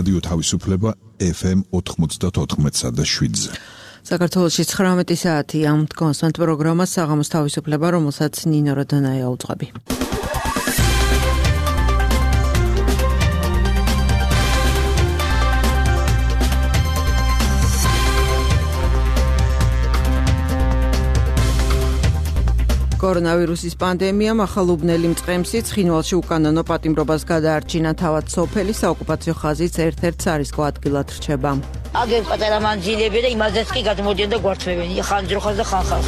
რადიო თავისუფლება FM 94.7-ზე. საქართველოში 19 საათი ამ კონსტანტ პროგრამა საღამოს თავისუფლება, რომელსაც ნინო როდონაია უძღვები. კორონავირუსის პანდემიამ ახალ უბნელი მწყემსი ცხინვალში უკანონო პატიმრობას გადაარჩინა, თავად სოფელი საოკუპაციო ხაზის ერთ-ერთ სარისკო ადგილად რჩება. აგერ პატარა მანძილები და იმაზეც კი გადმოდიან და გვართმევენ ხანჯროხას და ხანხალს.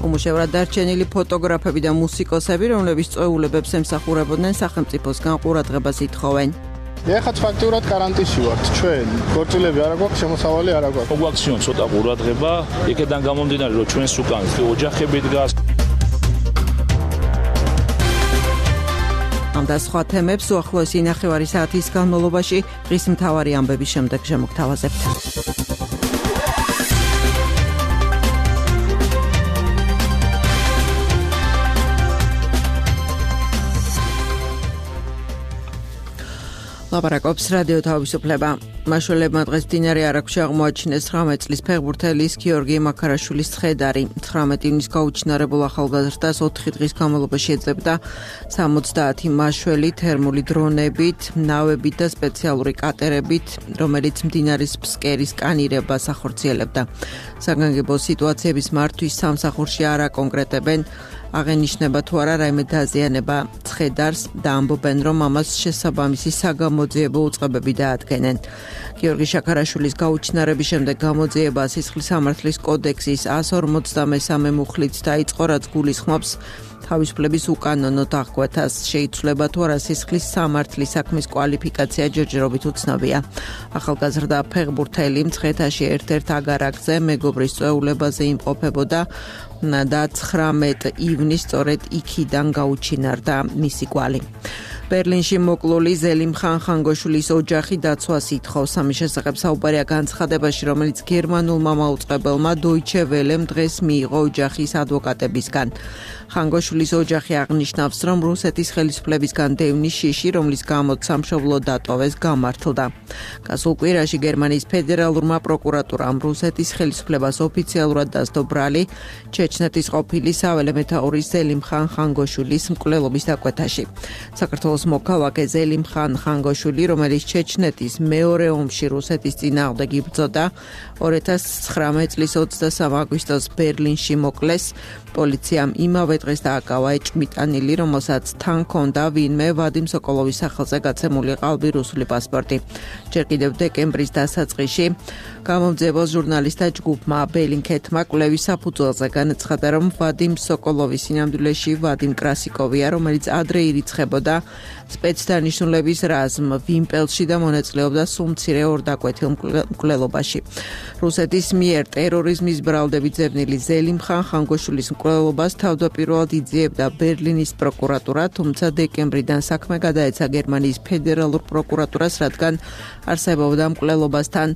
უმუშევრად დარჩენილი ფოტოგრაფები და მუსიკოსები, რომლებიც წვეულებებს ემსახურებოდნენ, სახელმწიფოსგან ყურადღებას ითხოვენ. ეხაც ფაქტიურად კარანტინში ვართ. ჩვენ ქორწილები არ აქვს, შემოსავალი არ აქვს. მოგვაქციონ ცოტა ყურადღება, იქედან გამომდინარე, რომ ჩვენს უკან ოჯახები დგას. ამ და სხვა თემებს უახლოესი ნახევარი საათის განმავლობაში დღის მთავარი ამბების შემდეგ შემოგთავაზებთ. ლაპარაკობს რადიო თავისუფლება. მაშველებმა დღეს მდინარე არაგვში აღმოაჩინეს 19 წლის ფეხბურთელის გიორგი მაქარაშვილის ცხედარი. 19 ივნისს გაუჩინარებულ ახალგაზრდას 4 დღის განმავლობაში ეძებდა 70 მაშველი თერმული დრონებით, ნავებით და სპეციალური კატერებით, რომელიც მდინარის ფსკერის კანირებას ახორციელებდა. საგანგებო სიტუაციების მართვის სამსახურში არ აკონკრეტებენ, აღენიშნება თუ არა რაიმე დაზიანება ცხედარს და ამბობენ, რომ ამას შესაბამისი საგამოძიებო უწყებები დაადგენენ. გიორგი შაქარაშვილის გაუჩინარების შემდეგ გამოძიება სისხლის სამართლის კოდექსის 153 მუხლით დაიწყო, რაც გულისხმობს თავისუფლების უკანონოდ აღკვეთას. შეიცვლება თუ არა სისხლის სამართლის საქმის კვალიფიკაცია ჯერჯერობით უცნობია. ახალგაზრდა ფეხბურთელი მცხეთაში ერთ-ერთ აგარაკზე მეგობრის წვეულებაზე იმყოფებოდა და 19 ივნისს სწორედ იქიდან გაუჩინარდა მისი კვალი. ბერლინში მოკლული ზელიმხან ხანგოშვილის ოჯახი დაცვას ითხოვს. ამის შესახებ საუბარია განცხადებაში, რომელიც გერმანულმა მაუწყებელმა Deutsche Welle-მ დღეს მიიღო ოჯახის ადვოკატებისგან. ხანგოშვილის ოჯახი აღნიშნავს, რომ რუსეთის ხელისუფლებისგან დევნის შიში, რომლის გამოც სამშობლო დატოვეს, გამართლდა. გასულ კვირაში გერმანიის ფედერალურმა პროკურატურამ რუსეთის ხელისუფლებას ოფიციალურად დასდო ბრალი ჩეჩნეთის ყოფილი საველე მეთაურის ზელიმხან ხანგოშვილის მკვლელობის დაკვეთაში. საქართველოს მოქალაქე ზელიმხან ხანგოშვილი, რომელიც ჩეჩნეთის მეორე ომში რუსეთის წინააღმდეგ იბრძოდა, 2019 წლის 23 აგვისტოს ბერლინში მოკლეს. პოლიციამ იმავე დღეს დააკავა ეჭმიტანილი, რომელსაც თან ჰქონდა ვინმე ვადიმ სოკოლოვის სახელზე გაცემული ყალბი რუსული პასპორტი. ჯერ კიდევ დეკემბრის დასაწყისში გამომძიებელ ჟურნალისტთა ჯგუფმა ბელინკეთმა კვლევის საფუძველზე განაცხადა, რომ ვადიმ სოკოლოვის სინამდვილეში ვადიმ კრასიკოვია, რომელიც ადრე ირიცხებოდა სპეცდანიშნულების რაზმ ვიმპელში და მონაწილეობდა სუმცირე ორდაკვეთილ მკვლელობაში. რუსეთის მიერ ტერორიზმის ბრალდებით ზევნილი ზელიმხან ხანგოშვილის მკვლელობას თავდაპირველად იძიებდა ბერლინის პროკურატურა, თუმცა დეკემბრიდან საქმე გადაეცა გერმანიის ფედერალურ პროკურატურას, რადგან არსებობდა მკვლელობასთან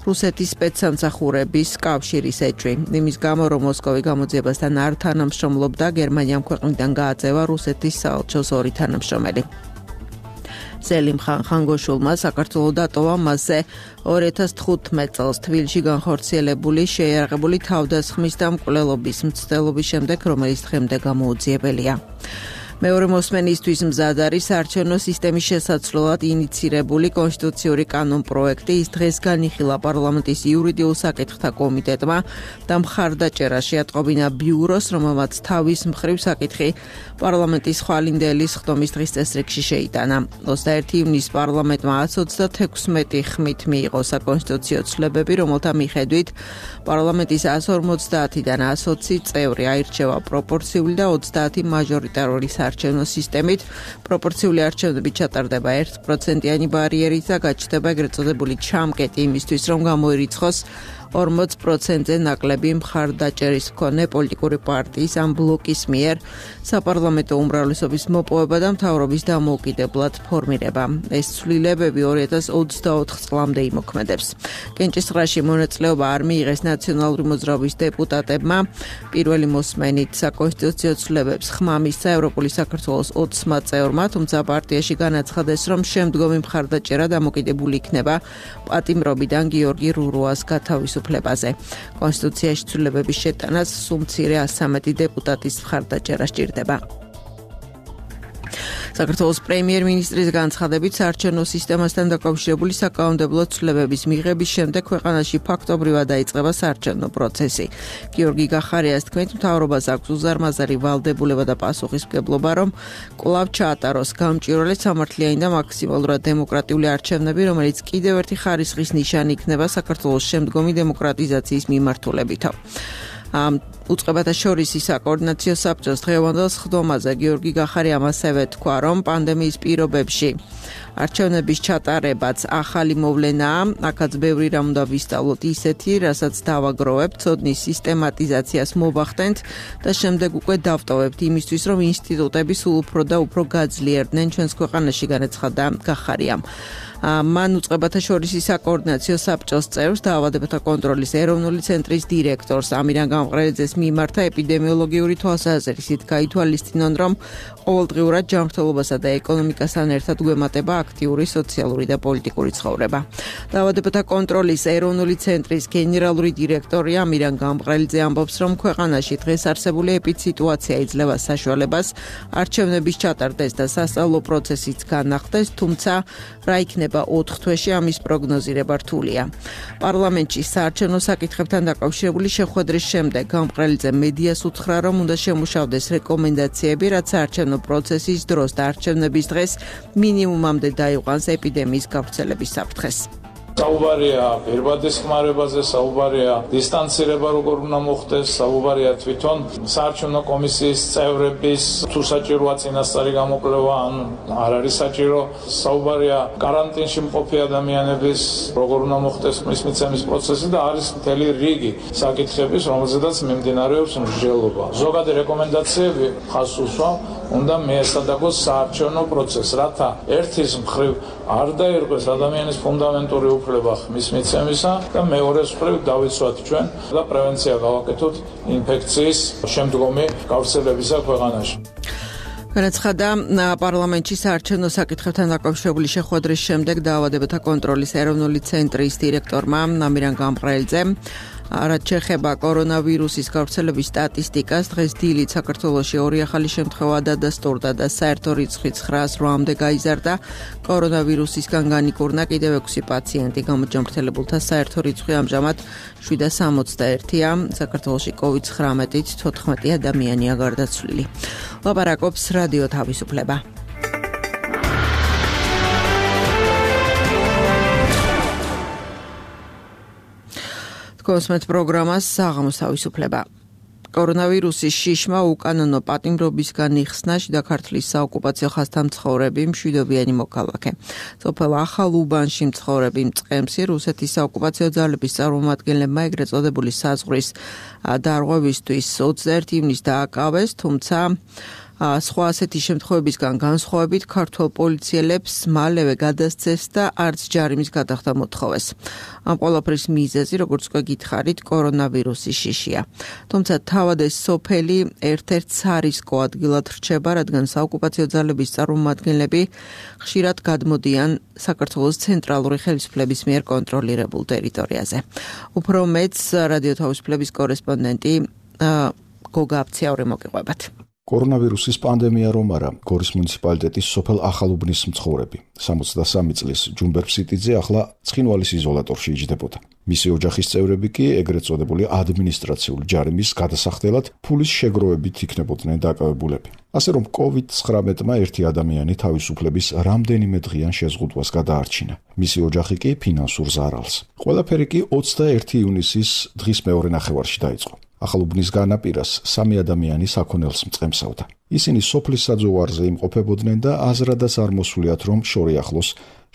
რუსეთის სპეცსამსახურების კავშირის ეჭვი. იმის გამო, რომ მოსკოვი გამოძიებასთან არ თანამშრომლობდა, გერმანიამ ქვეყნიდან გააძევა რუსეთის საელჩოს 2 თანამშრომელი. ზელიმხან ხანგოშვილმა საქართველოს დატოვა მასზე 2015 წელს თბილისში განხორციელებული შეიარაღებული თავდასხმის და მკვლელობის მცდელობის შემდეგ, რომელიც დღემდე გამოუძიებელია. მეორე მოსმენისთვის მზად არის საარჩევნო სისტემის შესაცვლელად ინიცირებული კონსტიტუციური კანონპროექტი. ის დღეს განიხილა პარლამენტის იურიდიულ საკითხთა კომიტეტმა და მხარდაჭერა შეატყობინა ბიუროს, რომელმაც თავის მხრივ საკითხი პარლამენტის ხვალინდელი ხდომის დღის წესრიგში შეიტანა. 21 ივნისს პარლამენტმა 136 ხმით მიიღო საკონსტიტუციო ცვლილებები, რომელთა მიხედვით პარლამენტის 150-დან 120 წევრი აირჩევა პროპორციული და 30 მაჟორიტარული საარჩევნო სისტემით. პროპორციული არჩევნები ჩატარდება 1%-იანი ბარიერით და გაჩნდება ეგრეთ წოდებული ჩამკეტი იმისთვის, რომ გამოირიცხოს 40%-ზე ნაკლები მხარდაჭერის მქონე პოლიტიკური პარტიის ამ ბლოკის მიერ საპარლამენტო უმრავლესობის მოპოვება და მთავრობის დამოუკიდებლად ფორმირება. ეს ცვლილებები 2024 წლამდე იმოქმედებს. კენჭისყრაში მონაწილეობა არ მიიღეს ნაციონალური მოძრაობის დეპუტატებმა. პირველი მოსმენით საკონსტიტუციო ცვლილებებს ხმა მისცა ევროპული საქართველოს 20 წევრმა, თუმცა პარტიაში განაცხადეს, რომ შემდგომი მხარდაჭერა დამოკიდებული იქნება პატიმრობიდან გიორგი რურუას გათავისუფლებაზე. კონსტიტუციაში ცვლილებების შეტანას სულ მცირე 113 დეპუტატის მხარდაჭერა სჭირდება. საქართველოს პრემიერ-მინისტრის განცხადებით საარჩევნო სისტემასთან დაკავშირებული საკანონმდებლო ცვლილებების მიღების შემდეგ ქვეყანაში ფაქტობრივად დაიწყება საარჩევნო პროცესი. გიორგი გახარიას თქმით, მთავრობას აქვს უზარმაზარი ვალდებულება და პასუხისმგებლობა, რომ კვლავ ჩაატაროს გამჭვირვალე სამართლიანი და მაქსიმალურად დემოკრატიული არჩევნები, რომელიც კიდევ ერთი ხარისხის ნიშანი იქნება საქართველოს შემდგომი დემოკრატიზაციის მიმართულებითო. უწყებათა შორის საკოორდინაციო საბჭოს დღევანდელ სხდომაზე გიორგი გახარიამ ასევე თქვა, რომ პანდემიის პირობებში არჩევნების ჩატარებაც ახალი მოვლენაა, აქაც ბევრი რამ უნდა ვისწავლოთ ისეთი, რასაც დავაგროვებთ, ცოდნის სისტემატიზაციას მოვახდენთ და შემდეგ უკვე დავტოვებთ იმისთვის, რომ ინსტიტუტები სულ უფრო და უფრო გაძლიერდნენ ჩვენს ქვეყანაში, განაცხადა გახარიამ. მან უწყებათა შორის საკოორდინაციო საბჭოს წევრს, დაავადებათა კონტროლის ეროვნული ცენტრის დირექტორს ამირან გამყრელიძეს მიმართა ეპიდემიოლოგიური თვალსაზრისით გაითვალისწინონ, რომ ყოველდღიურად ჯანმრთელობასა და ეკონომიკასთან ერთად გვემატება აქტიური სოციალური და პოლიტიკური ცხოვრება. დაავადებათა კონტროლის ეროვნული ცენტრის გენერალური დირექტორი ამირან გამყრელიძე ამბობს, რომ ქვეყანაში დღეს არსებული ეპიდსიტუაცია იძლევა საშუალებას არჩევნების ჩატარდეს და სასწავლო პროცესიც განახდეს, თუმცა რა იქნება 4 თვეში ამის პროგნოზირება რთულია. პარლამენტში საარჩევნო საკითხებთან დაკავშირებული შეხვედრის შემდეგ გამყრელიძე მედიას უთხრა, რომ უნდა შემუშავდეს რეკომენდაციები, რაც საარჩევნო პროცესის დროს და არჩევნების დღეს მინიმუმამდე დაიყვანს ეპიდემიის გავრცელების საფრთხეს. საუბარია პირბადის ხმარებაზე, საუბარია დისტანცირება როგორ უნდა მოხდეს, საუბარია თვითონ საარჩევნო კომისიის წევრების თუ საჭიროა წინასწარი გამოკვლევა ან არ არის საჭირო, საუბარია კარანტინში მყოფი ადამიანების როგორ უნდა მოხდეს მის მიცემის პროცესი და არის მთელი რიგი საკითხების, რომელზედაც მიმდინარეობს მსჯელობა. ზოგადი რეკომენდაციები ხაზს უსვამ, უნდა მიესადაგოს საარჩევნო პროცესს, რათა ერთის მხრივ არ დაირღვეს ადამიანის ფუნდამენტური უფლება ხმის მიცემისა და მეორეს მხრივ დავიცვათ ჩვენ და პრევენცია გავაკეთოთ ინფექციის შემდგომი გავრცელებისა ქვეყანაში. განაცხადა პარლამენტში საარჩევნო საკითხებთან დაკავშირებული შეხვედრის შემდეგ დაავადებათა კონტროლის ეროვნული ცენტრის დირექტორმა ამირან გამყრელიძემ. რაც შეეხება კორონავირუსის გავრცელების სტატისტიკას, დღეს დილით საქართველოში 2 ახალი შემთხვევა დადასტურდა და საერთო რიცხვი 908-მდე გაიზარდა. კორონავირუსისგან განიკურნა კიდევ 6 პაციენტი, გამოჯანმრთელებულთა საერთო რიცხვი ამჟამად 761-ია. საქართველოში COVID-19-ით 14 ადამიანია გარდაცვლილი. ლაპარაკობს რადიო თავისუფლება. კოსმეთ პროგრამას საღამოს თავისუფლება. კორონავირუსის შიშმა უკანონო პატიმრობისგან იხსნა შიდა ქართლის საოკუპაციო ხაზთან მცხოვრები მშვიდობიანი მოქალაქე. სოფელ ახალ უბანში მცხოვრები მწყემსი რუსეთის საოკუპაციო ძალების წარმომადგენლებმა ეგრეთ წოდებული საზღვრის დარღვევისთვის 21 ივნისს დააკავეს, თუმცა სხვა ასეთი შემთხვევებისგან განსხვავებით ქართველ პოლიციელებს მალევე გადასცეს და არც ჯარიმის გადახდა მოთხოვეს. ამ ყველაფრის მიზეზი, როგორც უკვე გითხარით, კორონავირუსის შიშია. თუმცა თავად ეს სოფელი ერთ-ერთ სარისკო ადგილად რჩება, რადგან საოკუპაციო ძალების წარმომადგენლები ხშირად გადმოდიან საქართველოს ცენტრალური ხელისუფლების მიერ კონტროლირებულ ტერიტორიაზე. უფრო მეც რადიო თავისუფლების კორესპონდენტი გოგა აფციაური მოგიყვებათ. კორონავირუსის პანდემია რომ არა, გორის მუნიციპალიტეტის სოფელ ახალუბნის მცხოვრები 63 წლის ჯუმბერ ფსიტიძე ახლა ცხინვალის იზოლატორში იჯდებოდა. მისი ოჯახის წევრები კი ეგრეთ წოდებული ადმინისტრაციული ჯარიმის გადასახდელად ფულის შეგროვებით იქნებოდნენ დაკავებულები. ასე რომ COVID-19-მა ერთი ადამიანი თავისუფლების რამდენიმე დღიან შეზღუდვას გადაარჩინა. მისი ოჯახი კი ფინანსურ ზარალს. ყველაფერი კი 21 ივნისის დღის მეორე ნახევარში დაიწყო. ახალუბნის განაპირას 3 ადამიანი საქონელს მწყემსავდა. ისინი სოფლის საძოვარზე იმყოფებოდნენ და აზრადაც არ მოსულიათ, რომ შორი ახლოს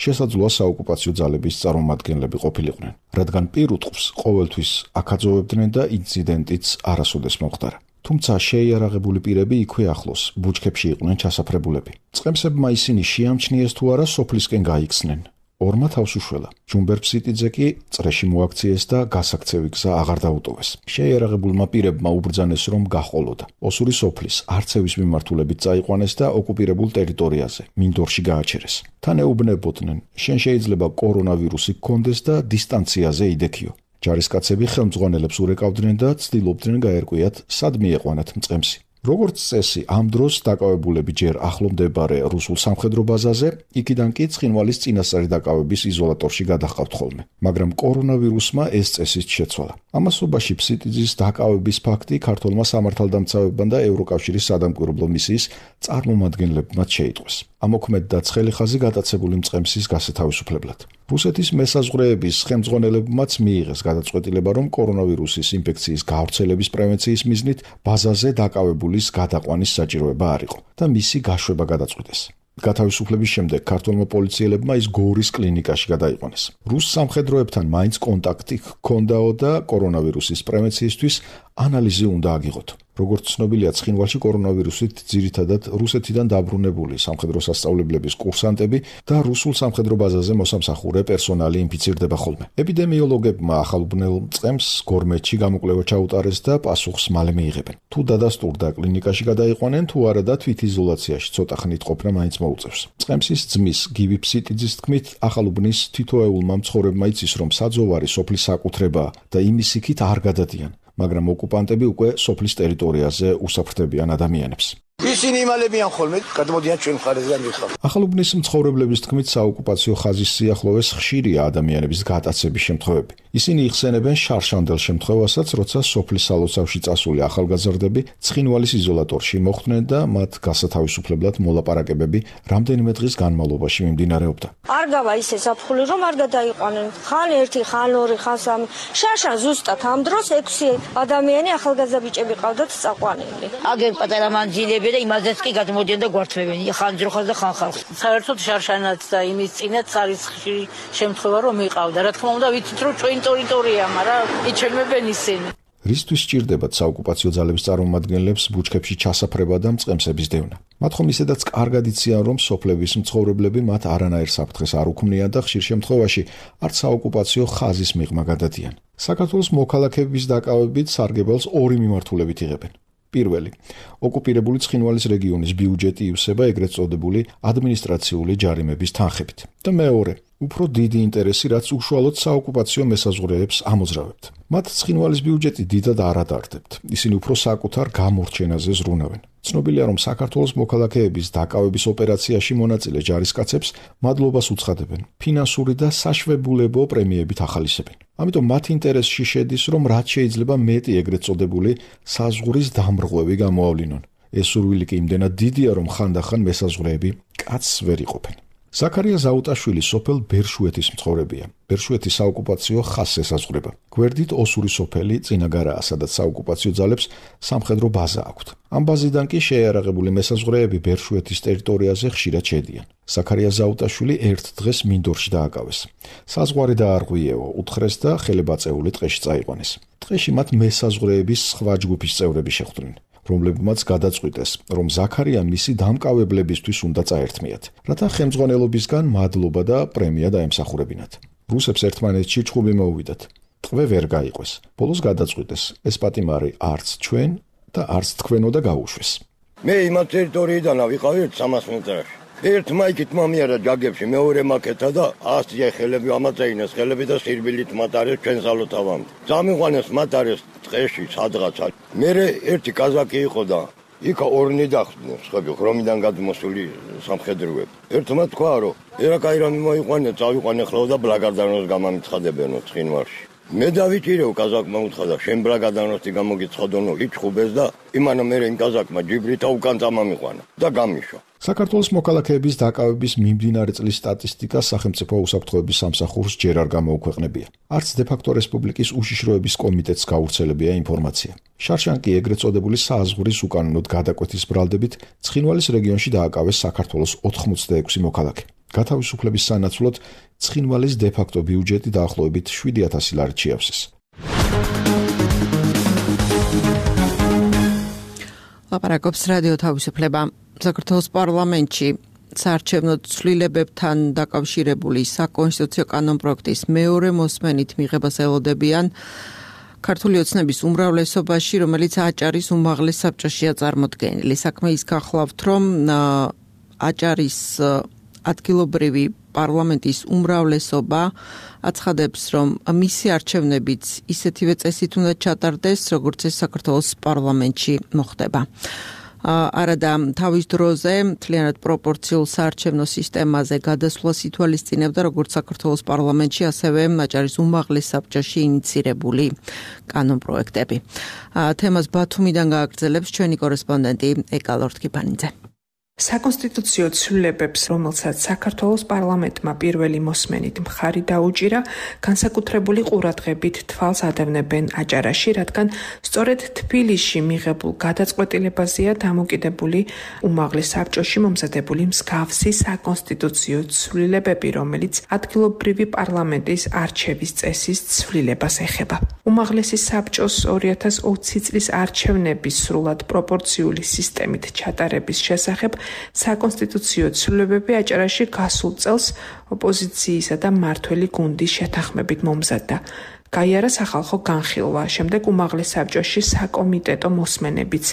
შესაძლოა საოკუპაციო ძალების წარმომადგენლები ყოფილიყვნენ, რადგან პირუტყვს ყოველთვის აკაძოვებდნენ და ინციდენტიც არასოდეს მომხდარა. თუმცა შეიარაღებული პირები იქვე ახლოს, ბუჩქებში იყვნენ ჩასაფრებულები. წყემსებმა ისინი შეამჩნიეს თუ არა სოფლისკენ გაიქცნენ. ორმა თავს უშველა. ჯუმბერ-ფსიტიძე კი წრეში მოაქციეს და გასაქცევი გზა აღარ დაუტოვეს. შეიარაღებულმა პირებმა უბრძანეს, რომ გაჰყოლოდა. ოსური სოფლის არცევის მიმართულებით წაიყვანეს და ოკუპირებულ ტერიტორიაზე, მინდორში გააჩერეს. თან ეუბნებოდნენ, შენ შეიძლება კორონავირუსი გქონდეს და დისტანციაზე იდექიო. ჯარისკაცები ხელმძღვანელებს ურეკავდნენ და ცდილობდნენ გაერკვიათ, სად მieყვანათ მწყემსი. როგორც წესი, ამ დროს დაკავებულები ჯერ ახლო მდებარე რუსულ სამხედრო ბაზაზე, იქიდან კი ცხინვალის წინასწარი დაკავების იზოლატორში გადაჰყავთ ხოლმე. მაგრამ კორონავირუსმა ეს წესიც შეცვალა. ამასობაში ფსიტიძის დაკავების ფაქტი ქართულმა სამართალდამცავებმა და ევროკავშირის სადამკვირვებლო მისიის წარმომადგენლებმაც შეიტყვეს. ამოქმედდა ცხელი ხაზი გატაცებული მწყემსის გასათავისუფლებლად. რუსეთის მესაზღვრეების ხელმძღვანელებმაც მიიღეს გადაწყვეტილება, რომ კორონავირუსის ინფექციის გავრცელების პრევენციის მიზნით ბაზაზე დაკავებულის გადაყვანის საჭიროება არ იყო და მისი გაშვება გადაწყვიტეს. გათავისუფლების შემდეგ ქართულმა პოლიციელებმა ის გორის კლინიკაში გადაიყვანეს. რუს სამხედროებთან მაინც კონტაქტი ჰქონდაო და კორონავირუსის პრევენციისთვის ანალიზი უნდა აგიღოთ. როგორც ცნობილია, ცხინვალში კორონავირუსით ძირითადად რუსეთიდან დაბრუნებული სამხედრო სასწავლებლების კურსანტები და რუსულ სამხედრო ბაზაზე მოსამსახურე პერსონალი ინფიცირდება ხოლმე. ეპიდემიოლოგებმა ახალბნელ მწყემს გორმეთში გამოკვლევა ჩაუტარეს და პასუხს მალე მიიღებენ. თუ დადასტურდა კლინიკაში გადაიყვანენ, თუ არა და თვითიზოლაციაში ცოტა ხნით ყოფნა მაინც მოუწევს. მწყემსის ძმის გივი ფსიტიძის თქმით, ახალუბნის თითოეულმა მცხოვრებმა იცის, რომ საძოვარი სოფლის საკუთრებაა და იმის იქით არ გადადიან. მაგრამ ოკუპანტები უკვე სოფლის ტერიტორიაზე უსაფრთხოებიან ადამიანებს. ისინი იმალებიან ხოლმე, გადმოდიან ჩვენ მხარეზე მიხარ. ახალუბნის მცხოვრებლების თქმით, საოკუპაციო ხაზის სიახლოვეს ხშირია ადამიანების გატაცების შემთხვევები. ისინი იხსენებენ შარშანდელ შემთხვევასაც, როცა სოფლის სალოცავში წასული ახალგაზრდები ცხინვალის იზოლატორში მოხვდნენ და მათ გასათავისუფლებლად მოლაპარაკებები რამდენიმე დღის განმავლობაში მიმდინარეობდა. არ გავა ისე საფხული, რომ არ გადაიყვანენ. ხან ერთი, ხან ორი, ხან სამი. შარშან ზუსტად ამ დროს 6 ადამიანი ახალგაზრდა ბიჭები ყავდათ წაყვანილი. აგერ პატარა მანძილები და იმაზეც კი გადმოდიან და გვართმევენ ხან ძროხას და ხან ხალხს. საერთოდ შარშანაც და იმის წინაც არის ხშირი შემთხვევა რომ იყავდა. რა თქმა უნდა ვიცით რომ ჩვენ ტერიტორია, მაგრამ იჩემებენ ისინი. რისთვის სჭირდებათ საოკუპაციო ძალების წარმომადგენლებს ბუჩქებში ჩასაფრება და მწყემსების დევნა? მათ ხომ ისედაც კარგად იციან, რომ სოფლების მცხოვრებლები მათ არანაირ საფრთხეს არ უქმნიან და ხშირ შემთხვევაში არც საოკუპაციო ხაზის მიღმა გადადიან. საქართველოს მოქალაქეების დაკავებით სარგებელს ორი მიმართულებით იღებენ. პირველი, ოკუპირებული ცხინვალის რეგიონის ბიუჯეტი ივსება ეგრეთ წოდებული ადმინისტრაციული ჯარიმების თანხებით. და მეორე, უფრო დიდი ინტერესი, რაც უშუალოდ საოკუპაციო მესაზღვრეებს ამოძრავებთ. მათ ცხინვალის ბიუჯეტი დიდად არ ადარდებთ. ისინი უფრო საკუთარ გამორჩენაზე ზრუნავენ. ცნობილია, რომ საქართველოს მოქალაქეების დაკავების ოპერაციაში მონაწილე ჯარისკაცებს მადლობას უცხადებენ, ფინანსური და საშვებულებო პრემიებით ახალისებენ. ამიტომ მათ ინტერესში შედის, რომ რაც შეიძლება მეტი ეგრეთ წოდებული საზღვრის დამრღვევი გამოავლინონ. ეს სურვილი კი იმდენად დიდია, რომ ხანდახან მესაზღვრეები კაცს ვერ იყოფენ. ზაქარია ზაუტაშვილი სოფელ ბერშუეთის მცხოვრებია. ბერშუეთი საოკუპაციო ხაზს ესაზღვრება. გვერდით ოსური სოფელი წინაგარაა, სადაც საოკუპაციო ძალებს სამხედრო ბაზა აქვთ. ამ ბაზიდან კი შეიარაღებული მესაზღვრეები ბერშუეთის ტერიტორიაზე ხშირად შედიან. ზაქარია ზაუტაშვილი ერთ დღეს მინდორში დააკავეს. საზღვარი დაარღვიეო, უთხრეს და ხელებაწეული ტყეში წაიყვანეს. ტყეში მათ მესაზღვრეების სხვა ჯგუფის წევრები შეხვდნენ, რომლებმაც გადაწყვიტეს, რომ ზაქარია მისი დამკავებლებისთვის უნდა წაერთმიათ, რათა ხელმძღვანელობისგან მადლობა და პრემია დაემსახურებინათ. რუსებს ერთმანეთში ჭხუბი მოუვიდათ. ტყვე ვერ გაიყვეს. ბოლოს გადაწყვიტეს, ეს პატიმარი არც ჩვენ და არც თქვენო და გაუშვეს. მე იმათ ტერიტორიიდან ვიყავი 300 მეტრში. ერთ მაიკით მომიარა ჯაგებში, მეორე მაკეთა და 100 ხელები ამაწეინეს ხელები და სირბილით მატარეს ჩვენ სალოთავამდე. წამიყვანეს მატარეს ტყეში სადღაცა. მე ერთი კაზაკი იყო და იქა ორნი დახვდნენ, ხები ხრომიდან გადმოსული სამხედროები. ერთმა თქვა, რომ ერაკაირამი მოიყვანე, წავიყვანე ხლავ და ბლაგარდანოს გამამიცხადებენო ცხინვალში. მე დავიჭირეო კაზაკმა უთხრა, შენ ბლაგარდანოსი გამოგიცხადონო, იჩხუბეს და იმანა მე იმ კაზაკმა ჯიბრითა უკან წამამიყვანა და გამიშვა. საქართველოს მოქალაქეების დაკავების მიმდინარე წლის სტატისტიკა სახელმწიფო უსაფრთხოების სამსახურს ჯერ არ გამოუქვეყნებია. არც დე-ფაქტო რესპუბლიკის უშიშროების კომიტეტს გავრცელებია ინფორმაცია. შარშან კი ეგრეთ წოდებული საზღვრის უკანონოდ გადაკვეთის ბრალდებით ცხინვალის რეგიონში დააკავეს საქართველოს 86 მოქალაქე. გათავისუფლების სანაცვლოდ ცხინვალის დე-ფაქტო ბიუჯეტი დაახლოებით 7,000 ლარით შეავსეს. ლაპარაკობს რადიო თავისუფლება. საქართველოს პარლამენტში საარჩევნო ცვლილებებთან დაკავშირებული საკონსტიტუციო კანონპროექტის მეორე მოსმენით მიღებას ელოდებიან ქართული ოცნების უმრავლესობაში, რომელიც აჭარის უმაღლეს საბჭოშია წარმოდგენილი. საქმე ის გახლავთ, რომ აჭარის ადგილობრივი პარლამენტის უმრავლესობა აცხადებს, რომ მისი არჩევნებიც ისეთივე წესით უნდა ჩატარდეს, როგორც ეს საქართველოს პარლამენტში მოხდება. არადა თავის დროზე მთლიანად პროპორციულ საარჩევნო სისტემაზე გადასვლას ითვალისწინებდა როგორც საქართველოს პარლამენტში, ასევე აჭარის უმაღლეს საბჭოში ინიცირებული კანონპროექტები. თემას ბათუმიდან გააგრძელებს ჩვენი კორესპონდენტი ეკა ლორთქიფანიძე. საკონსტიტუციო ცვლილებებს, რომელსაც საქართველოს პარლამენტმა პირველი მოსმენით მხარი დაუჭირა, განსაკუთრებული ყურადღებით თვალს ადევნებენ აჭარაში, რადგან სწორედ თბილისში მიღებულ გადაწყვეტილებაზეა დამოკიდებული უმაღლეს საბჭოში მომზადებული მსგავსი საკონსტიტუციო ცვლილებები, რომელიც ადგილობრივი პარლამენტის არჩევის წესის ცვლილებას ეხება. უმაღლესი საბჭოს 2020 წლის არჩევნების სრულად პროპორციული სისტემით ჩატარების შესახებ საკონსტიტუციო ცვლილებები აჭარაში გასულ წელს ოპოზიციისა და მმართველი გუნდის შეთანხმებით მომზადდა. გაიარა სახალხო განხილვა, შემდეგ უმაღლეს საბჭოში საკომიტეტო მოსმენებიც,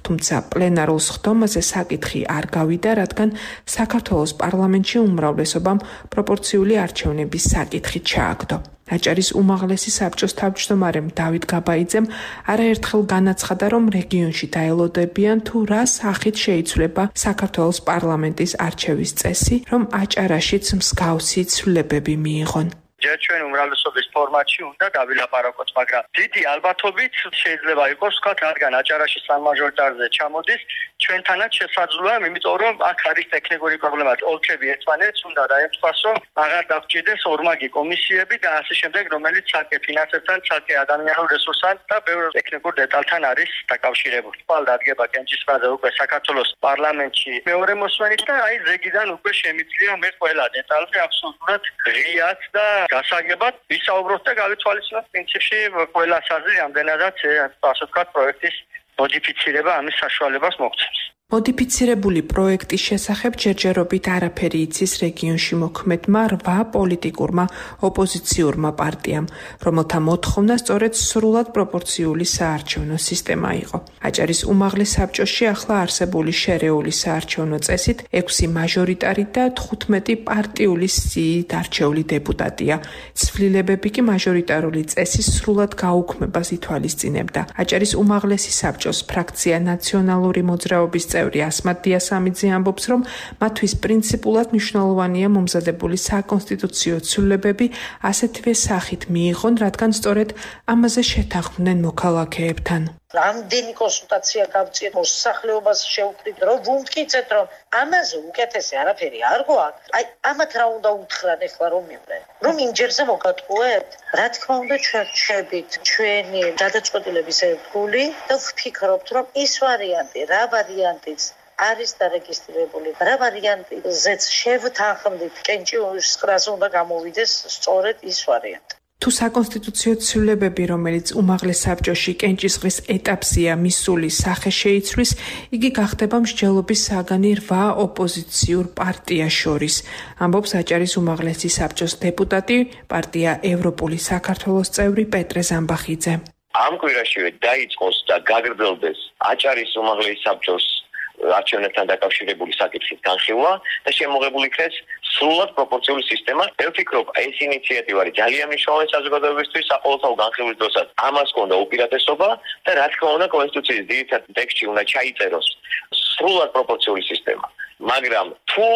თუმცა პლენარულ სხდომაზე საკითხი არ გავიდა, რადგან საქართველოს პარლამენტში უმრავლესობამ პროპორციული არჩევნების საკითხი ჩააგდო. აჭარის უმაღლესი საბჭოს თავმჯდომარემ დავით გაბაიძემ არაერთხელ განაცხადა, რომ რეგიონში დაელოდებიან თუ რა სახით შეიცვლება საქართველოს პარლამენტის არჩევის წესი, რომ აჭარაშიც მსგავსი ცვლილებები მიიღონ. ჯერ ჩვენ უმრავლესობის ფორმატში უნდა დავილაპარაკოთ, მაგრამ დიდი ალბათობით შეიძლება იყოს ვთქვათ, რადგან აჭარაში სამაჟორიტარზე ჩამოდის, ჩვენთანაც შესაძლოა, იმიტომ რომ აქ არის ტექნიკური პრობლემა. ოლქები ერთმანეთს უნდა დაემთხვას, რომ აღარ დაგჭირდეს ორმაგი კომისიები და ასე შემდეგ, რომელიც ცალკე ფინანსებთან, ცალკე ადამიანურ რესურსთან და ბევრ ტექნიკურ დეტალთან არის დაკავშირებული. თვალ დადგება კენჭისყრაზე უკვე საქართველოს პარლამენტში მეორე მოსმენით და აი ზეგიდან უკვე შემიძლია მე ყველა დეტალზე აბსოლუტურად ღიად და გასაგებად ვისაუბროთ და გავითვალისწინოთ პრინციპში ყველა საზრი რამდენადაც ასე ვთქვათ პროექტის მოდიფიცირება ამის საშუალებას მოგცემს. მოდიფიცირებული პროექტის შესახებ ჯერჯერობით არაფერი იცის რეგიონში მოქმედმა 8 პოლიტიკურმა ოპოზიციურმა პარტიამ, რომელთა მოთხოვნა სწორედ სრულად პროპორციული საარჩევნო სისტემა იყო. აჭარის უმაღლეს საბჭოში ახლა არსებული შერეული საარჩევნო წესით 6 მაჟორიტარი და 15 პარტიული სიით არჩეული დეპუტატია. ცვლილებები კი მაჟორიტარული წესის სრულად გაუქმებას ითვალისწინებდა. აჭარის უმაღლესი საბჭოს ფრაქცია ნაციონალური მოძრაობის წევრი ასმათ დიასამიძე ამბობს, რომ მათთვის პრინციპულად მნიშვნელოვანია მომზადებული საკონსტიტუციო ცვლილებები ასეთივე სახით მიიღონ, რადგან სწორედ ამაზე შეთანხმდნენ მოქალაქეებთან. რამდენი კონსულტაცია გავწიეთ, მოსახლეობას შევხვდით, რომ ვუმტკიცეთ, რომ ამაზე უკეთესი არაფერი არ გვაქვს. აი, ამათ რა უნდა უთხრან ახლა რომ მიყვნენ. რომ იმჯერზე მოგატყუეთ? რა თქმა უნდა, ჩვენ ვჩებით ჩვენი გადაწყვეტილების ერთგული და ვფიქრობთ, რომ ის ვარიანტი, რა ვარიანტიც არის დარეგისტრირებული, რა ვარიანტიზეც შევთანხმდით, კენჭისყრაზე უნდა გამოვიდეს სწორედ ის ვარიანტი. თუ საკონსტიტუციო ცვლილებები, რომელიც უმაღლეს საბჭოში კენჭისყრის ეტაპზეა მისული სახე შეიცვლის, იგი გახდება მსჯელობის საგანი 8 ოპოზიციურ პარტიას შორის, ამბობს აჭარის უმაღლესი საბჭოს დეპუტატი, პარტია ევროპული საქართველოს წევრი პეტრე ზამბახიძე. ამ კვირაშივე დაიწყოს და გაგრძელდეს აჭარის უმაღლესი საბჭოს არჩევნებთან დაკავშირებული საკითხის განხილვა და შემოღებული იქნეს სრულად პროპორციული სისტემა. მე ვფიქრობ, ეს ინიციატივა არის ძალიან მნიშვნელოვანი საზოგადოებისთვის საყოველთაო განხილვის დროსაც. ამას ჰქონდა უპირატესობა და რა თქმა უნდა კონსტიტუციის ძირითად ტექსტში უნდა ჩაიწეროს სრულად პროპორციული სისტემა. მაგრამ თუ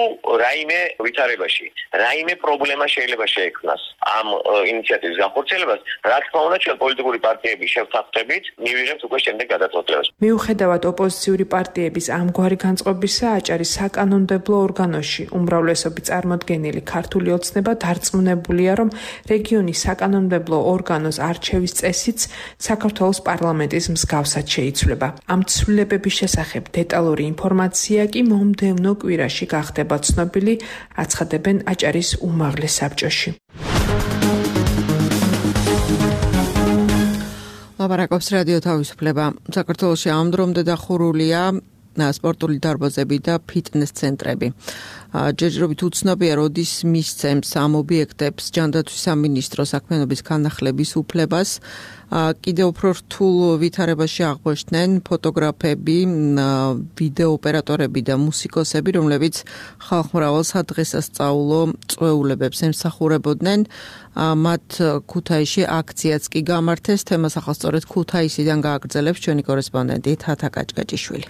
რაიმე ვითარებაში, რაიმე პრობლემა შეიძლება შეექმნას ამ ინიციატივის განხორციელებას, რა თქმა უნდა ჩვენ პოლიტიკური პარტიები შევთანხმდებით, მივიღებთ უკვე შემდეგ გადაწყვეტილებას. მიუხედავად ოპოზიციური პარტიების ამგვარი განწყობისა, აჭარის საკანონმდებლო ორგანოში უმრავლესობით წარმოდგენილი ქართული ოცნება დარწმუნებულია, რომ რეგიონის საკანონმდებლო ორგანოს არჩევის წესიც საქართველოს პარლამენტის მსგავსად შეიცვლება. ამ ცვლილებების შესახებ დეტალური ინფორმაცია კი მომდევნო კვირაში გახდება ცნობილი, აცხადებენ აჭარის უმაღლეს საბჭოში. ლაპარაკობს რადიო თავისუფლება. საქართველოში ამ დრომდე დახურულია სპორტული დარბაზები და ფიტნეს ცენტრები. ჯერჯერობით უცნობია, როდის მისცემს ამ ობიექტებს ჯანდაცვის სამინისტრო საქმიანობის განახლების უფლებას. კიდევ უფრო რთულ ვითარებაში აღმოჩნდნენ ფოტოგრაფები, ვიდეო ოპერატორები და მუსიკოსები, რომლებიც ხალხმრავალ სადღესასწაულო წვეულებებს ემსახურებოდნენ. მათ ქუთაისში აქციაც კი გამართეს. თემას ახლა სწორედ ქუთაისიდან გააგრძელებს ჩვენი კორესპონდენტი თათა კაჭკაჭიშვილი.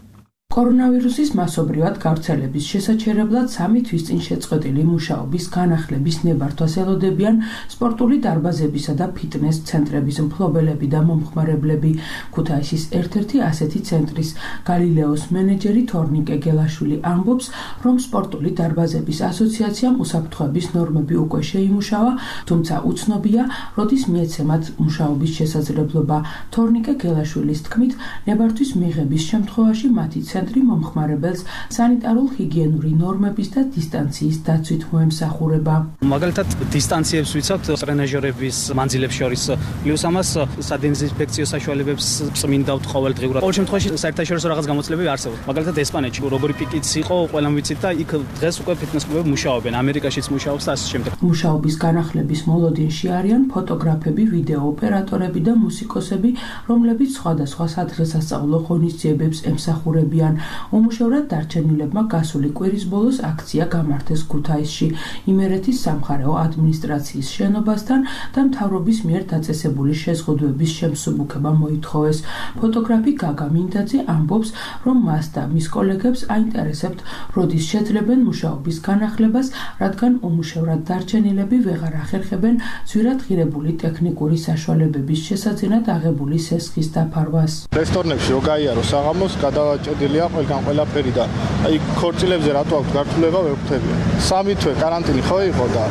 კორონავირუსის მასობრივად გავრცელების შესაჩერებლად 3 თვის წინ შეწყვეტილი მუშაობის განახლების ნებართვას ელოდებიან სპორტული დარბაზებისა და ფიტნეს ცენტრების მფლობელები და მომხმარებლები. ქუთაისის ერთ-ერთი ასეთი ცენტრის გალილეოს მენეჯერი თორნიკე გელაშვილი ამბობს, რომ სპორტული დარბაზების ასოციაციამ უსაფრთხოების ნორმები უკვე შეიმუშავა, თუმცა უცნობია, როდის მიეცემათ მუშაობის შესაძლებლობა. თორნიკე გელაშვილის თქმით, ნებართვის მიღების შემთხვევაში მათი ცენტრი მომხმარებელს სანიტარულ-ჰიგიენური ნორმების და დისტანციის დაცვით მოემსახურება. მაგალითად, დისტანციებს ვიცავთ ტრენაჟერების მანძილებს შორის, პლუს ამას სადეზინფექციო საშუალებებს წმინდავთ ყოველდღიურად. ყოველ შემთხვევაში საერთაშორისო რაღაც გამოცდილებები არსებობს. მაგალითად, ესპანეთში როგორი პიკიც იყო, ყველამ ვიცით და იქ დღეს უკვე ფიტნეს კლუბები მუშაობენ, ამერიკაშიც მუშაობს და ასე შემდეგ. მუშაობის განახლების მოლოდინში არიან ფოტოგრაფები, ვიდეო ოპერატორები და მუსიკოსები, რომლებიც სხვადასხვა სადღესასწაულო ღონისძიებებს ემსახურებიან. უმუშევრად დარჩენილებმა გასული კვირის ბოლოს აქცია გამართეს ქუთაისში, იმერეთის სამხარეო ადმინისტრაციის შენობასთან და მთავრობის მიერ დაწესებული შეზღუდვების შემსუბუქება მოითხოვეს. ფოტოგრაფი გაგა მინდაძე ამბობს, რომ მას და მის კოლეგებს აინტერესებთ, როდის შეძლებენ მუშაობის განახლებას, რადგან უმუშევრად დარჩენილები ვეღარ ახერხებენ ძვირად ღირებული ტექნიკური საშუალებების შესაძენად აღებული სესხის დაფარვას. რესტორნებში რო გაიარო საღამოს გადავაჭედილია ყველგან ყველაფერი და აი ქორწილებზე რატო აქვს გართულება ვერ ვხვდები. 3 თვე каранტინი ხო იყო და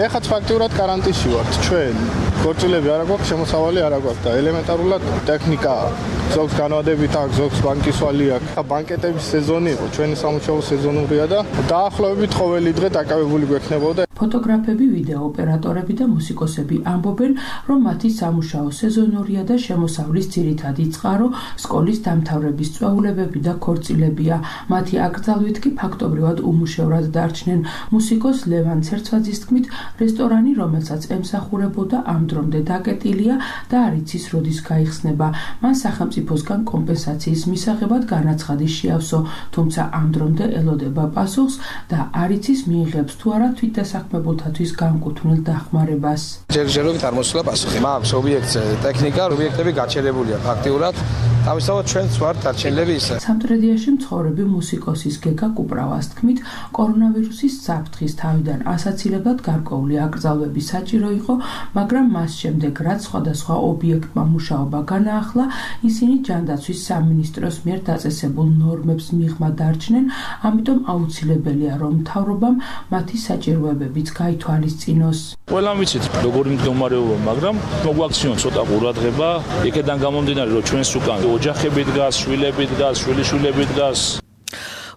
ეხაც ფაქტიურად каранტინში ვართ ჩვენ. ქორწილები არა გვაქვს, შემოსავალი არა გვაქვს და ელემენტარულად ტექნიკა ზოგს განვადებით აქვს, ზოგს ბანკისვალი აქვს. ბანკეტების სეზონი იყო, ჩვენი სამუშაო სეზონურია და დაახლოებით ყოველი დღე დაკავებული გვექნებოდა. ფოტოგრაფები, ვიდეო ოპერატორები და მუსიკოსები ამბობენ, რომ მათი სამუშაო სეზონურია და შემოსავლის ძირითადი წყარო სკოლის დამთავრების წვეულებები და ქორწილებია. მათი აკრძალვით კი ფაქტობრივად უმუშევრად დარჩნენ. მუსიკოს ლევან ცერცვაძის თქმით, რესტორანი, რომელსაც ემსახურებოდა, ამ დრომდე დაკეტილია და არ იცის, როდის გაიხსნება. მან სახელმწიფოსგან კომპენსაციის მისაღებად განაცხადი შეავსო, თუმცა ამ დრომდე ელოდება პასუხს და არ იცის მიიღებს თუ არა თვითდასაქმებულთათვის განკუთვნილ დახმარებას. ჯერჯერობით არ მოსულა პასუხი. მაქვს ობიექტზე ტექნიკა, ობიექტები გაჩერებულია ფაქტიურად. თავისთავად ჩვენც ვართ დარჩენილები ისე. სამტრედიაში მცხოვრები მუსიკოსის გეგა კუპრავას თქმით, კორონავირუსის საფრთხის თავიდან ასაცილებლად გარკვეული აკრძალვები საჭირო იყო, მაგრამ მას შემდეგ, რაც სხვადასხვა ობიექტმა მუშაობა განაახლა, ისინი ჯანდაცვის სამინისტროს მიერ დაწესებულ ნორმებს მიღმა დარჩნენ, ამიტომ აუცილებელია, რომ მთავრობამ მათი საჭიროებებიც გაითვალისწინოს. ყველამ ვიცით, როგორი მდგომარეობა, მაგრამ მოგვაქციონ ცოტა ყურადღება, იქედან გამომდინარე, რომ ჩვენს უკან ოჯახები დგას, შვილები დგას, შვილიშვილები დგას.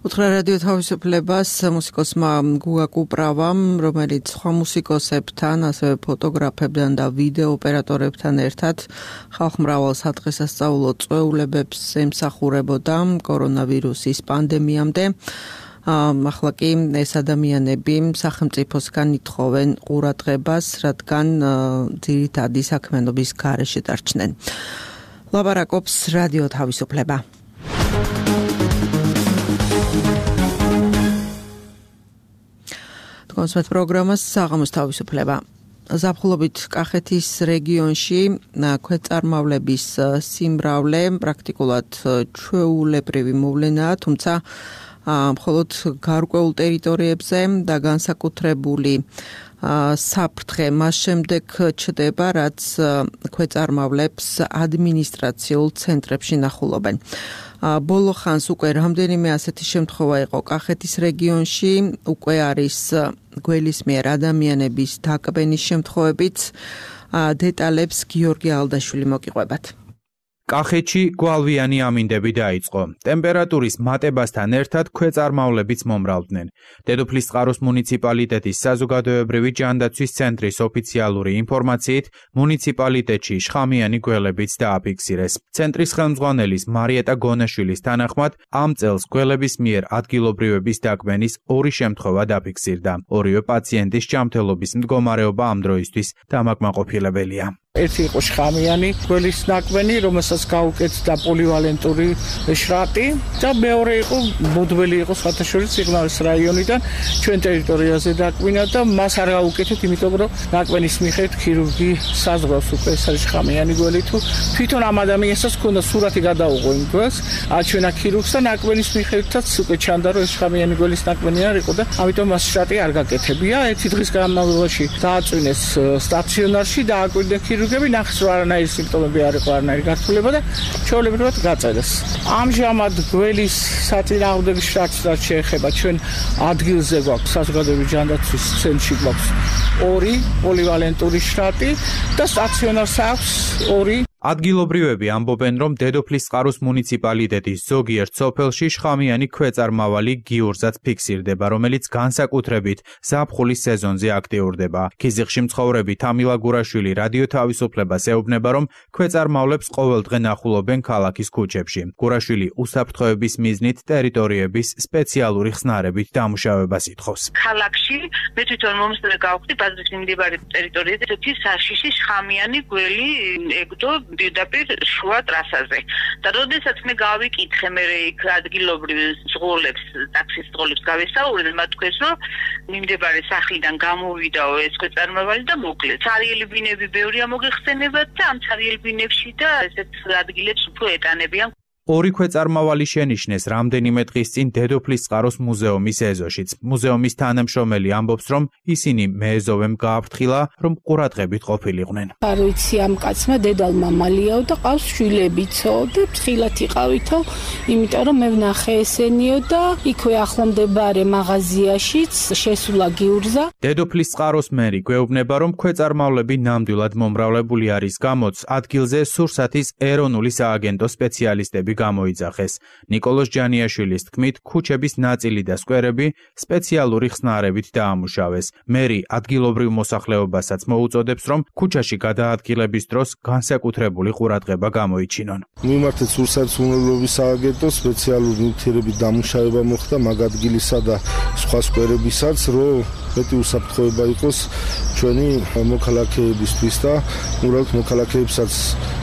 უთხრა რადიო თავისუფლებას მუსიკოსმა გუგა კუპრავამ, რომელიც სხვა მუსიკოსებთან, ასევე ფოტოგრაფებთან და ვიდეო ოპერატორებთან ერთად ხალხმრავალ სადღესასწაულო წვეულებებს ემსახურებოდა კორონავირუსის პანდემიამდე. ახლა კი ეს ადამიანები სახელმწიფოსგან ითხოვენ ყურადღებას, რადგან ძირითადი საქმიანობის გარეშე დარჩნენ. ლაპარაკობს რადიო თავისუფლება. კონსერტ პროგრამას საღამოს თავისუფლება. ზაფხულობით კახეთის რეგიონში ქვეწარმავლების სიმრავლე პრაქტიკულად ჩვეულებრივი მოვლენაა, თუმცა მხოლოდ გარკვეულ ტერიტორიებზე და განსაკუთრებული საფრთხე მას შემდეგ ჩდება, რაც ქვეწარმავლებს ადმინისტრაციულ ცენტრებში ნახულობენ. ბოლო ხანს უკვე რამდენიმე ასეთი შემთხვევა იყო კახეთის რეგიონში, უკვე არის გველის მიერ ადამიანების დაკბენის შემთხვევებიც. დეტალებს გიორგი ალდაშვილი მოგიყვებათ. კახეთში გვალვიანი ამინდები დაიწყო. ტემპერატურის მატებასთან ერთად ქვეწარმავლებიც მომრავლდნენ. დედოფლისწყაროს მუნიციპალიტეტის საზოგადოებრივი ჯანდაცვის ცენტრის ოფიციალური ინფორმაციით, მუნიციპალიტეტში შხამიანი გველებიც დააფიქსირეს. ცენტრის ხელმძღვანელის მარიეტა გონაშვილის თანახმად, ამ წელს გველების მიერ ადგილობრივების დაკვენის 2 შემთხვევა დაფიქსირდა. ორივე პაციენტის ჯანმრთელობის მდგომარეობა ამ დროისთვის დამაკმაყოფილებელია. ერთი იყო შხამიანი გველის ნაკვენი, რომელსაც გაუკეთდა პოლივალენტური შრატი და მეორე იყო მოდველი იყო სხვათა შორის სიღნაღის რაიონიდან ჩვენ ტერიტორიაზე დაკვინა და მას არ გაუკეთეთ, იმიტომ რომ ნაკვენის მიხედვით ქირურგი საზღვრავს უკვე ეს არის შხამიანი გველი თუ თვითონ ამ ადამიანსაც ჰქონდა სურათი გადაუღო იმ გველს, აჩვენა ქირურგს და ნაკვენის მიხედვითაც უკვე ჩანდა რომ ეს შხამიანი გველის ნაკვენი არ იყო და ამიტომ მას შრატი არ გაკეთებია. ერთი დღის განმავლობაში დააწვინეს სტაციონარში და აკვირდნენ ქირურგები, ნახეს რომ არანაირი სიმპტომები არ იყო, არანაირი გართულება და ჩვეულებრივად გაწერეს. ამჟამად გველის საწინააღმდეგო შრატს რაც შეეხება ჩვენ ადგილზე გვაქვს საზოგადოებრივი ჯანდაცვის ცენტრში გვაქვს 2 პოლივალენტური შრატი და სტაციონარს აქვს 2. ადგილობრივები ამბობენ, რომ დედოფლისწყაროს მუნიციპალიტეტის ზოგიერთ სოფელში შხამიანი ქვეწარმავალი გიურზაც ფიქსირდება, რომელიც განსაკუთრებით ზაფხულის სეზონზე აქტიურდება. ქიზიყში მცხოვრები თამილა გურაშვილი რადიო თავისუფლებას ეუბნება, რომ ქვეწარმავლებს ყოველდღე ნახულობენ ქალაქის ქუჩებში. გურაშვილი უსაფრთხოების მიზნით ტერიტორიების სპეციალური ხსნარებით დამუშავებას ითხოვს. ქალაქში მე თვითონ მომსწრე გავხდი ბაზრის მიმდებარე ტერიტორიაზე ერთი საშიში შხამიანი გველი ეგდო პირდაპირ შუა ტრასაზე. და როდესაც მე გავიკითხე მე იქ ადგილობრივ ზღოლებს, ტაქსის ზღოლებს გავესაუბრე, მათ თქვეს, რომ მიმდებარე სახლიდან გამოვიდაო ეს ქვეწარმავალი და მოკლეს. ცარიელი ბინები ბევრია მოგეხსენებათ და ამ ცარიელ ბინებში და ესეთ ადგილებს უფრო ეტანებიან. 2 ქვეწარმავალი შენიშნეს რამდენიმე დღის წინ დედოფლისწყაროს მუზეუმის ეზოშიც. მუზეუმის თანამშრომელი ამბობს, რომ ისინი მეეზოვემ გააფრთხილა, რომ ყურადღებით ყოფილიყვნენ. არ ვიცი ამ კაცმა დედალ მამალიაო და ყავს შვილებიცო და ფრთხილად იყავითო, იმიტომ რომ მე ვნახე ესენიო და იქვე ახლომდებარე მაღაზიაშიც შესულა გიურზა. დედოფლისწყაროს მერი გვეუბნება, რომ ქვეწარმავლები ნამდვილად მომრავლებული არის, გამოც ადგილზე სურსათის ეროვნული სააგენტო სპეციალისტები გამოიძახეს. ნიკოლოზ ჯანიაშვილის თქმით, ქუჩების ნაწილი და სკვერები სპეციალური ხსნარებით დაამუშავეს. მერი ადგილობრივ მოსახლეობასაც მოუწოდებს, რომ ქუჩაში გადაადგილების დროს განსაკუთრებული ყურადღება გამოიჩინონ. მიმართეთ სურსათის უზრუნველყოფის სააგენტოს სპეციალური ნივთიერებით დამუშავება მოხდა მაგ ადგილისა და სხვა სკვერებისაც, რომ მეტი უსაფრთხოება იყოს ჩვენი მოქალაქეებისთვის და უბრალოდ მოქალაქეებსაც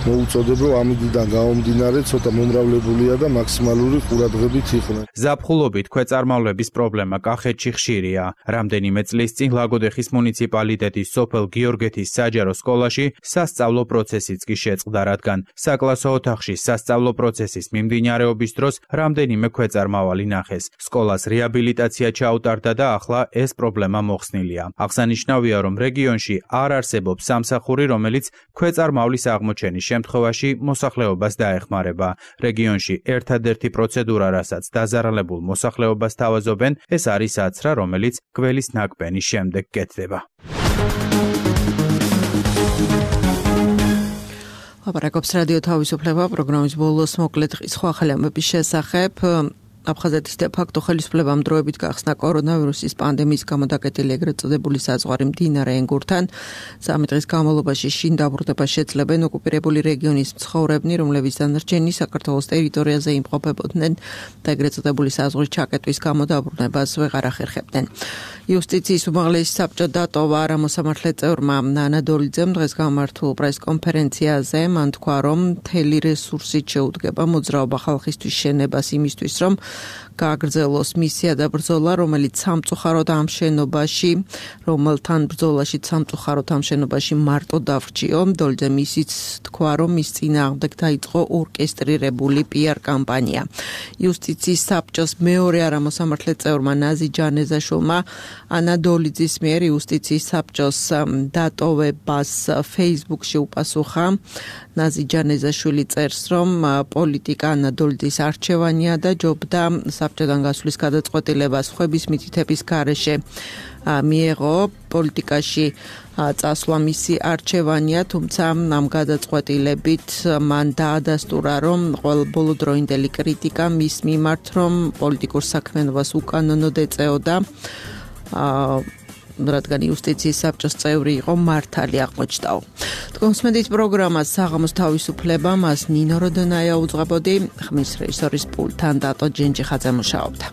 მოუწოდებ, რომ ამიდან გამომდინარე ცოტა მომრავლებულია და მაქსიმალური ყურადღებით იყვნენ. ზაფხულობით ქვეწარმავლების პრობლემა კახეთში ხშირია. რამდენიმე წლის წინ ლაგოდეხის მუნიციპალიტეტის სოფელ გიორგეთის საჯარო სკოლაში სასწავლო პროცესიც კი შეწყდა, რადგან საკლასო ოთახში სასწავლო პროცესის მიმდინარეობის დროს რამდენიმე ქვეწარმავალი ნახეს. სკოლას რეაბილიტაცია ჩაუტარდა და ახლა ეს პრობლემა მოხსნილია. აღსანიშნავია, რომ რეგიონში არ არსებობს სამსახური, რომელიც ქვეწარმავლის აღმოჩენის შემთხვევაში მოსახლეობას დაეხმარება. რეგიონში ერთადერთი პროცედურა, რასაც დაზარალებულ მოსახლეობას თავაზობენ, ეს არის აცრა, რომელიც გველის ნაკვენის შემდეგ კეთდება. ლაპარაკობს რადიო თავისუფლება პროგრამის ბოლოს მოკლედ სხვა ხელამების შესახებ. აფხაზეთის დე-ფაქტო ხელისუფლებამ დროებით გახსნა კორონავირუსის პანდემიის გამო დაკეტილი ეგრეთ წოდებული საზღვარი მდინარე ენგურთან. 3 დღის განმავლობაში შინ დაბრუნება შეძლებენ ოკუპირებული რეგიონის მცხოვრებნი, რომლებიც დანარჩენი საქართველოს ტერიტორიაზე იმყოფებოდნენ და ეგრეთ წოდებული საზღვრის ჩაკეტვის გამო დაბრუნებას ვეღარ ახერხებდნენ. იუსტიციის უმაღლესი საბჭო დატოვა არამოსამართლე წევრმა ნანა დოლიძემ დღეს გამართულ პრესკონფერენციაზე. მან თქვა, რომ მთელი რესურსით შეუდგება მოძრაობა ხალხისთვის შენებას იმისთვის, რომ გააგრძელოს მისია და ბრძოლა, რომელიც სამწუხაროდ ამ შენობაში, რომელთან ბრძოლაში სამწუხაროდ ამ შენობაში მარტო დავრჩიო. დოლიძემ ისიც თქვა, რომ მის წინააღმდეგ დაიწყო ორკესტრირებული PR კამპანია. იუსტიციის საბჭოს მეორე არამოსამართლე წევრმა ნაზი ჯანეზაშვილმა ანა დოლიძის მიერ იუსტიციის საბჭოს დატოვებას Facebook-ში უპასუხა. ნაზი ჯანეზაშვილი წერს, რომ პოლიტიკა ანა დოლიძის არჩევანია და ჯობდა საბჭოდან გასვლის გადაწყვეტილებას ხვების მითითების გარეშე მიეღო პოლიტიკაში წასვლა მისი არჩევანია, თუმცა ამ გადაწყვეტილებით მან დაადასტურა, რომ ბოლო დროინდელი კრიტიკა მის მიმართ, რომ პოლიტიკურ საქმიანობას უკანონოდ ეწეოდა, რადგან იუსტიციის საბჭოს წევრი იყო, მართალი აღმოჩნდაო. თქვენსმენთ პროგრამას საღამოს თავისუფლება, მას ნინო როდონაია უძღვებოდი, ხმის რეჟისორის პულტთან დატო ჯენჯიხაძე მუშაობდა.